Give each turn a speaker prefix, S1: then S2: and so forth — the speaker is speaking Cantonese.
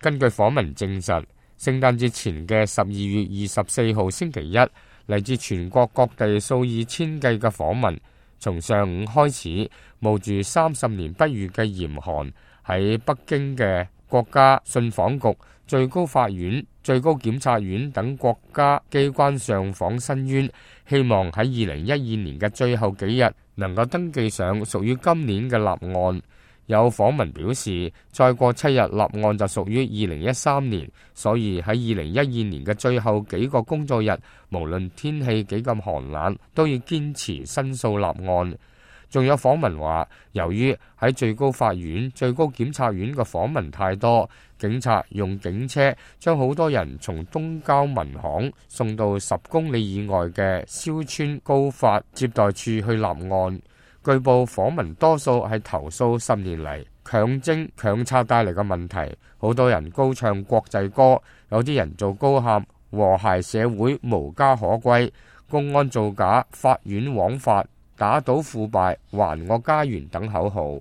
S1: 根據訪問證實，聖誕節前嘅12月24號星期一，嚟自全國各地數以千計嘅訪民，從上午開始，冒住30年不遇嘅嚴寒，喺北京嘅國家信訪局、最高法院、最高檢察院等國家機關上訪申冤，希望喺2012年嘅最後幾日能夠登記上屬於今年嘅立案。有訪民表示，再過7日立案就屬於2013年，所以喺2012年嘅最後幾個工作日，無論天氣幾咁寒冷，都要堅持申訴立案。仲有訪民話，由於喺最高法院、最高檢察院嘅訪民太多，警察用警車將好多人從東郊民巷送到10公里以外嘅蕭村高法接待處去立案。據報訪民多數係投訴10年嚟強徵強拆帶嚟嘅問題，好多人高唱國際歌，有啲人做高喊和諧社會無家可歸、公安造假、法院枉法、打倒腐敗、還我家園等口號。